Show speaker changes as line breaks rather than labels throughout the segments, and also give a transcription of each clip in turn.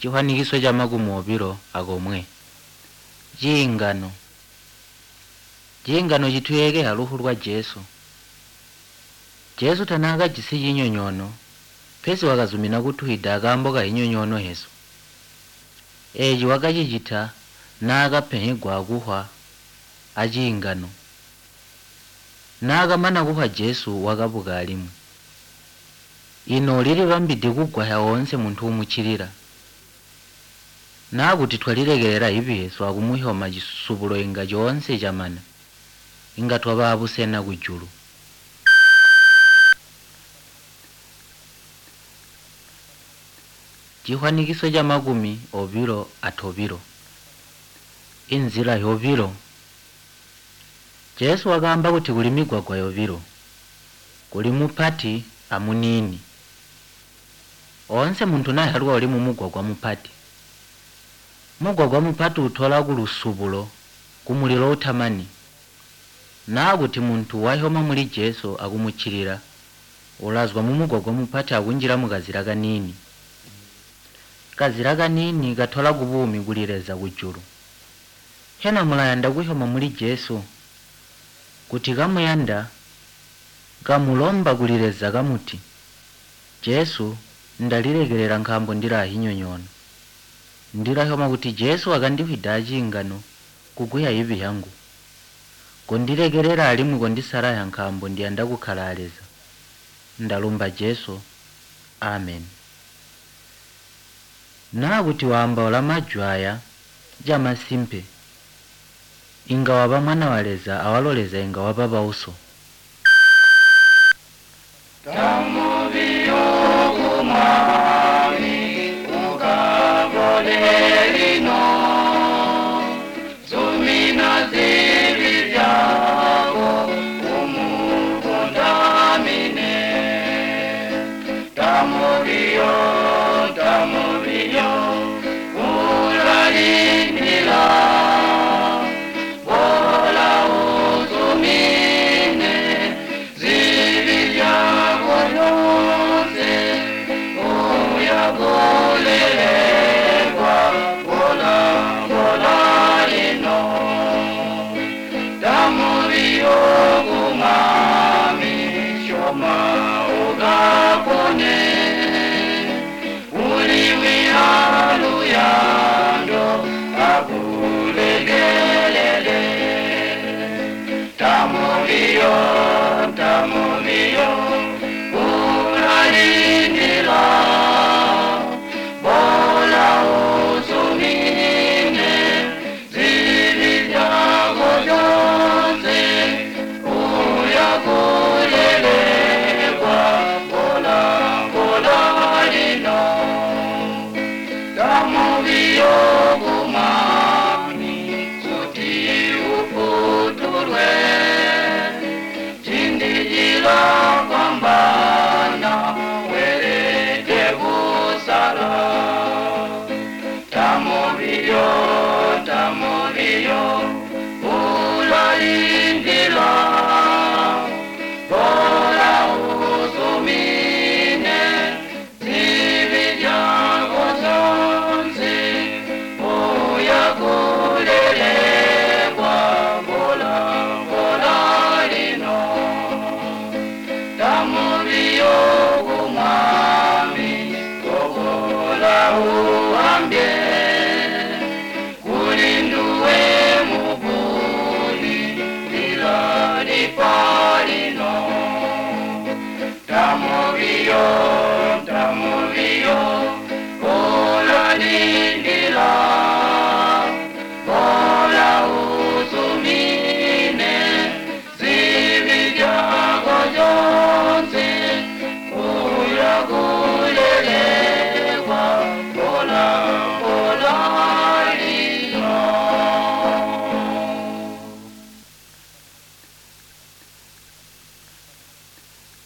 Cihwanikiso ca makumi obilo akomwe. Ciingano. Ciingano cituyeekeha luhwu lwa Jesu. Jesu tanaakajisi cinyonyoono, pesi wakazumina kutuhwida akaambo kahinyonyoono hesu. Eeci wakacicita naakapenhegwa akuhwa aciingano. Naakamana kuhwa Jesu wakabuka alimwi. Ino ulilibambide kugwahya oonse muntu umucilila. Naa kuti twalilekelela hibi hesu akumuhyoma cisubulo inga coonse camana. Inga twaba abusena kujulu. Cihwanikiso ca makumi obilo atobilo. Inzila yobilo. Jesu wakaamba kuti kuli migwagwa yobilo. Kuli mupati a muniini. Oonse muntu nahyalwa uli mumugwagwa mupati. Mugwagwa mupati utola kulusubulo ku mulilo utamani. Naa kuti muntu wahyoma muli Jesu akumucilila, ulazwa mumugwagwa mupati akunjila mukazila kaniini. Kazila kaniini katola kubuumi kuli Leza kujulu. Hena mulayanda kuhyoma muli Jesu? Kuti kamuyanda, kamulomba kuli Leza kamuti, Jesu, ndalilekelela nkaambo ndilaa hinyonyoono. Ndilahyoma kuti Jesu wakandihwida aciingano kuguhya hibi hyangu. Kondilekelela alimwi kondisalahya nkaambo ndiyanda kukala a Leza. Ndalumba Jesu. Amen. Naa kuti waambaula majwi aya camasimpe, inga waba mwana wa Leza awalo Leza inga waba bauso.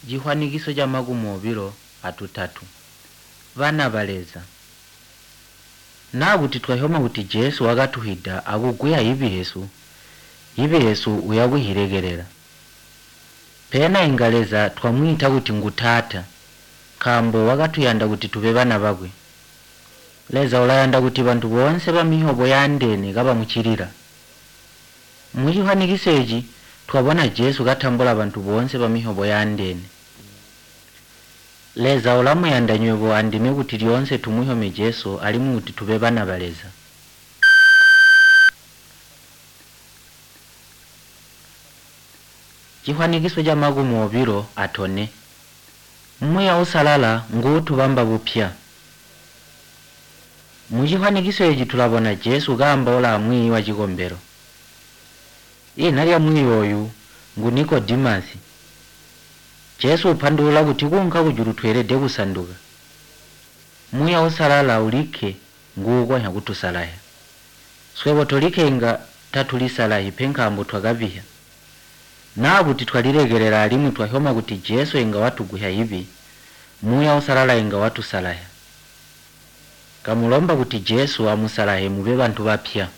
Cihwanikiso ca makumi obilo atutatu. Bana ba Leza. Naa kuti twahyoma kuti Jesu wakatuhwida akuguhya hibi hesu, hibi hesu uyakuhilekelela. Pena inga Leza twamwiita kuti ngu Taata, nkaambo wakatuyanda kuti tube bana bakwe. Leza ulayanda kuti bantu boonse bamisyobo yaandeene kabamuccilila. Mucifwanikiso eeci twabona Jesu katambula bantu boonse bamisyobo yaandeene. Leza ulamuyanda nywebo andime kuti lyoonse tumusyome Jesu alimwi kuti tube bana ba Leza. Cifwanikiso ca 24. Muuya Uusalala nguutubamba bupya. Mucifwanikiso eeci tulabona Jesu kaambaula amwiiyi wacikombelo. Ina lya mwiiyi ooyu ngu Nikodimasi. Jesu upandulula kuti kuunka kujulu tweelede kusanduka. Muuya Uusalala ulikke nguukonzya kutusalazya. Swebo tolikke inga tatulisalazyi pe nkaambo twakabisya. Naa kuti twalilekelela alimwi twasyoma kuti Jesu inga watugwisya cibi, Muuya Uusalala inga watusalazya. Kamulomba kuti Jesu amusalazye mube bantu bapya.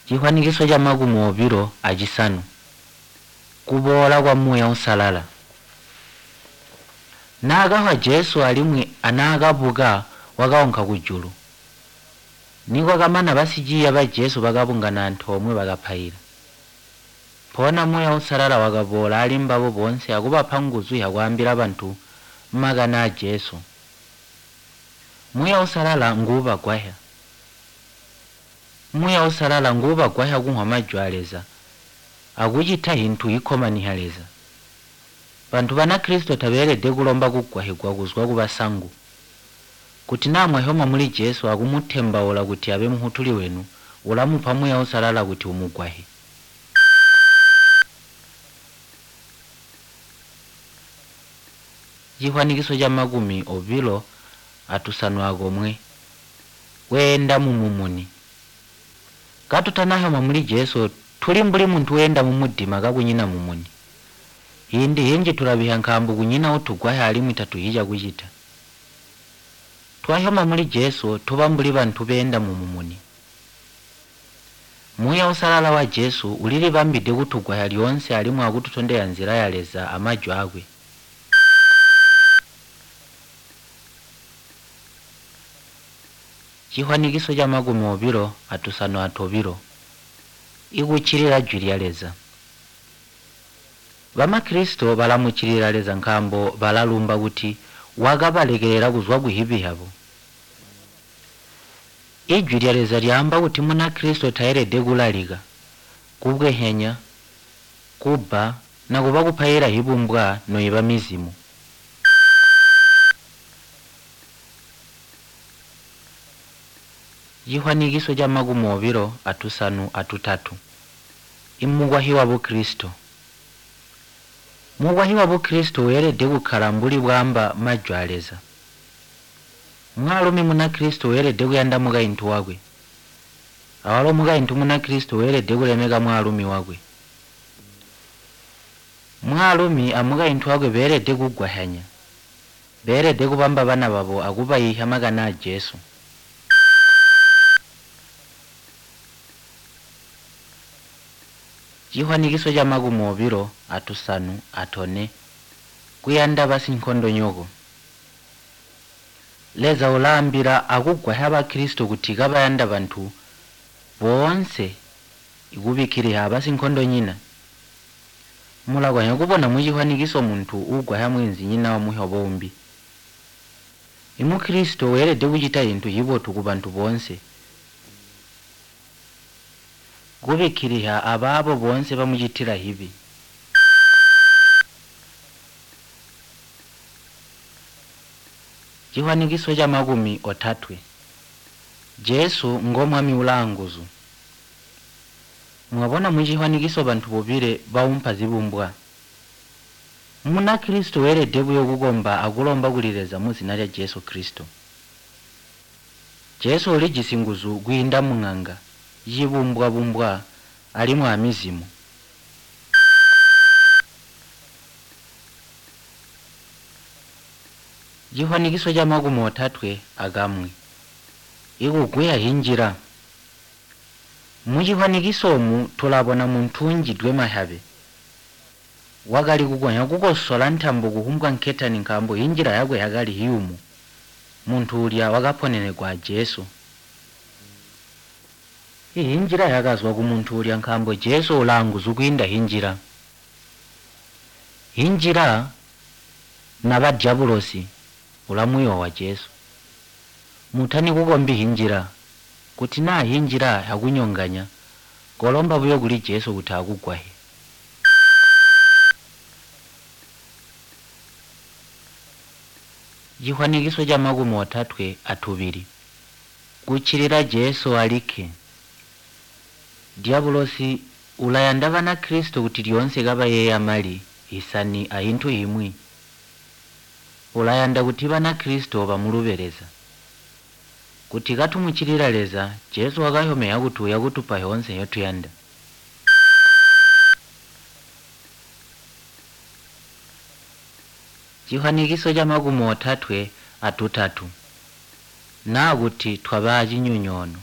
Cifwanikiso ca 25. Kuboola kwa Muuya Uusalala. Naakafwa Jesu alimwi anaakabuka wakaunka kujulu. Nikwakamana basiciiya ba Jesu bakabungana antoomwe bakapaila. Mpoona Muuya Uusalala wakaboola ali mbabo boonse akubapa nguzu zyakwaambila bantu makani aa Jesu. Muuya Uusalala nguubagwasya. Muuya Uusalala nguubagwasya kumvwa majwi aa Leza akucita zintu zikkomanisya Leza. Bantu Banakristo tabeelede kulomba kugwasyigwa kuzwa kubasangu. Kuti naa mwasyoma muli Jesu akumutembaula kuti abe Mufwutuli wenu, ulamupa Muuya Uusalala kuti umugwasye. Cifwanikiso ca 21. Kweenda mumumuni. Katutanasyoma muli Jesu tuli mbuli muntu weenda mumudima kakunyina mumuni. Ciindi cinji tulabisya nkaambo kunyina uutugwasya alimwi tatuzyi cakucita. Twasyoma muli Jesu tuba mbuli bantu beenda mumumuni. Muuya Uusalala wa Jesu ulilibambide kutugwasya lyoonse alimwi akututondezya nzila ya Leza amajwi aakwe. Cifwanikiso ca 52. Ikuccilila jwi lya Leza. Bamakristo balamuccilila Leza nkaambo balalumba kuti wakabalekelela kuzwa kuzibi zyabo. Ijwi lya Leza lyaamba kuti Munakristo taelede kulalika, kubwehenya, kubba nakuba kupaila zibumbwa noiba mizimo. Cifwanikiso ca 53. Imukwasyi wa Bukristo. Mukwasyi wa Bukristo weelede kukkala mbuli bwaamba majwi aa Leza. Mwaalumi Munakristo weelede kuyanda mukaintu wakwe. Awalo mukaintu Munakristo weelede kulemeka mwaalumi wakwe. Mwaalumi amukaintu wakwe beelede kugwasyanya. Beelede kubamba bana babo akubayiisya makani aa Jesu. Cifwanikiso ca 54. Kuyanda basinkondonyoko. Leza ulaambila akugwasya Bakristo kuti kabayanda bantu boonse ikubikkilizya abasinkondonyina. Mulakonzya kubona mucifwanikiso muntu uugwasya mweenzinyina wamusyobo umbi. Imukristo weelede kucita zintu zibotu kubantu boonse, kubikkilizya abaabo boonse bamucitila zibi. Cifwanikiso ca 30. Jesu ngo Mwami ulaanguzu. Mwabona mucifwanikiso bantu bobile baumpa zibumbwa. Munakristo weelede buyo kukomba akulomba kuli Leza muzina lya Jesu Kristo. Jesu ulijisi nguzu kwiinda muŋanga, cibumbwa-bumbwa alimwi amizimo. Cifwanikiso ca 31. Ikugwiya zinjila. Mucifwanikiso oomu tulabona muntu unjidwe mahabe. Wakali kukonya kukosola ntambo kuhumbwa nketani nkaambo hinjila yakwe yakali hiyumu. Muntu ulya wakaponenegwa a Jesu. Ihinjila yakazwa kumuntu ulya nkaambo Jesu ulaanguzu kwiinda hinjila. Hinjila naba dyabulosi ulamuyoowa Jesu. Mutani kukombi hinjila. Kuti naa hinjila yakunyonganya, kolomba buyo kuli Jesu kuti akugwahye. Cihwanikiso ca 32. Kuccilila Jesu alikke. Dyabulosi ulayanda Banakristo kuti lyoonse kabayeeya mali, hisani ahintu himwi. Ulayanda kuti Banakristo bamulube Leza. Kuti katumuccilila Leza, Jesu wakahyomehya kuti uya kutupa hyoonse nhyotuyanda. Cihwanikiso ca 33. Naa kuti twaba acinyonyoono.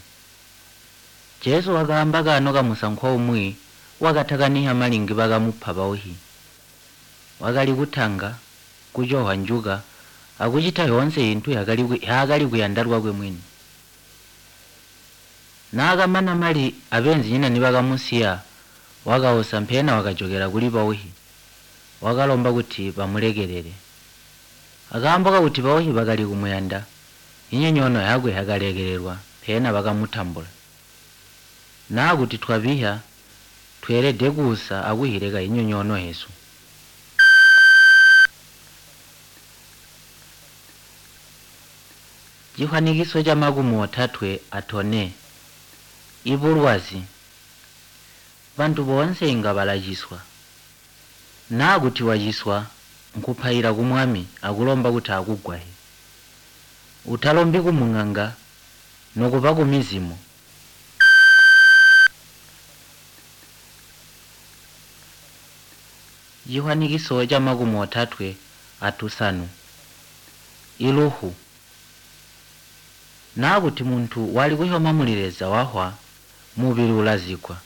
Jesu wakaamba kaano kamusankwa umwi wakatakanihya mali ngibakamupa bauhi. Wakali kutanga, kucohwa njuka, akucita hyoonse ihintu hyaakali kuyanda lwakwe mwini. Naakamana mali abeenzinyina nibakamusiya, wakausa mpeena wakajokela kuli bauhi. Wakalomba kuti bamulekelele. Akaambo kakuti bauhi bakali kumuyanda, inyonyoono yakwe yakalekelelwa mpeena bakamutambula. Naa kuti twabihya, tweelede kuusa akuhileka inyonyoono hesu. Cihwanikiso ca 34. Ibulwazi. Bantu boonse inga balaciswa. Naa kuti waciswa, nkupaila ku Mwami akulomba kuti akugwahye. Utalombi ku mung'anga nokuba kumizimo. Cihwanikiso ca 35. Iluhu. Naa kuti muntu wali kuhyoma muli Leza wahwa, mubili ulazikwa.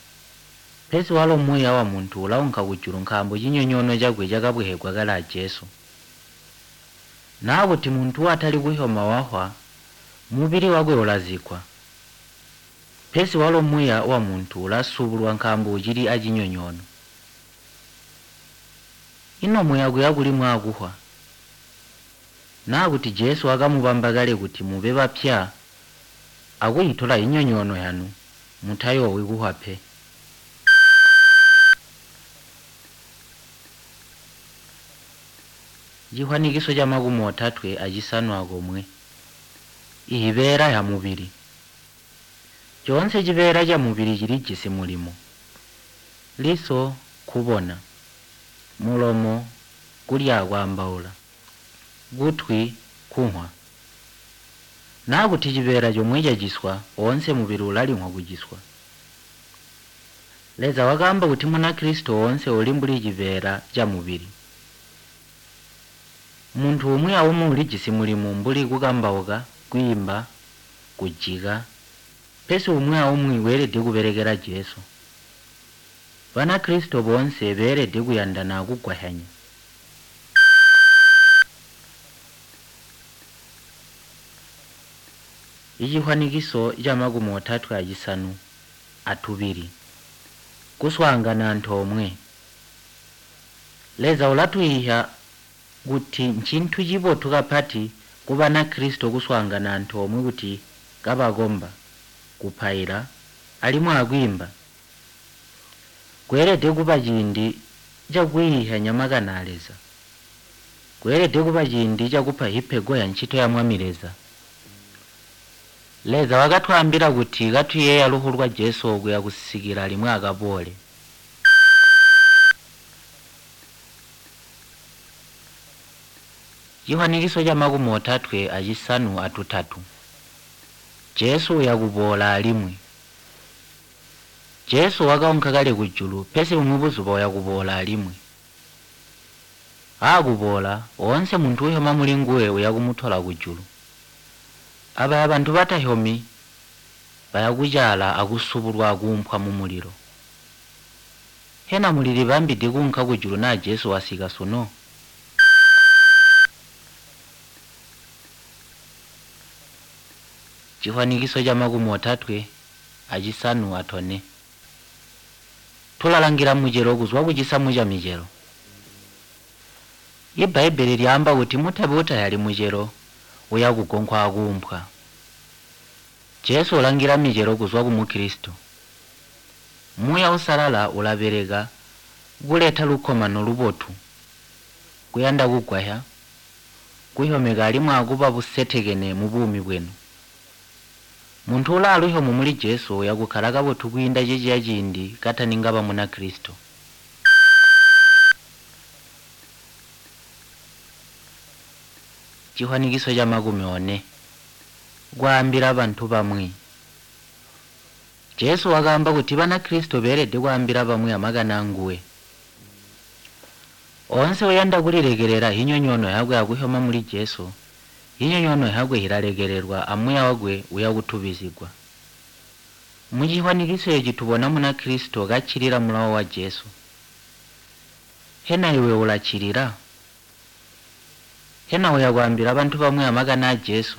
Pesi walo muuya wa muntu ulaunka kujulu nkaambo cinyonyoono cakwe cakabwehegwa kale a Jesu. Naa kuti muntu watali kuhyoma wahwa, mubili wakwe ulazikwa. Pesi walo muuya wa muntu ulasubulwa nkaambo ucili acinyonyoono. Ino muya kuya kuli mwaakuhwa? Naa kuti Jesu wakamubamba kale kuti mube bapya akuhitola inyonyoono yanu, mutayoowi kuhwa pe. Cihwanikiso ca 31. Ihibeela hya mubili. Coonse cibeela ca mubili cilijisi mulimo. Liso nkubona, mulomo kulya akwaambaula, kutwi kunhwa. Naa kuti cibeela comwe caciswa, oonse mubili ulalinhwa kuciswa. Leza wakaamba kuti Munakristo oonse uli mbuli cibeela ca mubili. Muntu umwi aumwi ulijisi mulimo mbuli kukambauka, kwiimba, kujika, pesi umwi aumwi weelede kubelekela Jesu. Banakristo boonse beelede kuyandana akugwahyanya. Icihwanikiso ca 32. Kuswaangana antoomwe. Leza ulatuyiihya kuti ncintu cibotu kapati ku Banakristo kuswaangana antoomwe kuti kabakomba, kupaila, alimwi akwiimba. Kweelede kuba ciindi cakuyiihyanya makani a Leza. Kweelede kuba ciindi cakupa hipego ya ncito ya Mwami Leza. Leza wakatwaambila kuti katuyeeya luhwu lwa Jesu okuya kusikila limwi akaboole. Cihwanikiso ca 33. Jesu uyakuboola alimwi. Jesu wakaunka kale kujulu, pesi bumwi buzuba uyakuboola alimwi. Aakuboola, oonse muntu uhyoma muli nguwe uyakumutola kujulu. Abaya bantu batahyomi bayakucaala akusubulwa akuumpwa mumulilo. Hena mulilibambide kuunka kujulu naa Jesu wasika sunu? Cihwanikiso ca 34. Tulalangila mucelo kuzwa kucisamu ca micelo. Ibbaibbele lyaamba kuti mutabi utahyali mucelo uya kugonkwa akuumpwa. Jesu ulangila micelo kuzwa ku muklistu. Muuya Usalala ulabeleka kuleta lukkomano lubotu, kuyanda kugwahya, kuhyomeka alimwi akuba busetekene mubuumi bwenu. Muntu ulaa luhyomo muli Jesu uya kukkala kabotu kwiinda ceciya ciindi kataningaba muna Klistu. Cihwanikiso ca 40. Kwaambila bantu bamwi. Jesu wakaamba kuti Banakristo beelede kwaambila bamwi amakani aanguwe. Oonse uyanda kulilekelela hinyonyoono hyakwe akuhyoma muli Jesu, hinyonyoono hyakwe hilalekelelwa a muya wakwe uyakutubizyigwa. Mucihwanikiso eeci tubona muna Klisto kaccilila mulawo wa Jesu. Hena iwe ulaccilila? Hena uya kwaambila bantu bamwi amakani aa Jesu?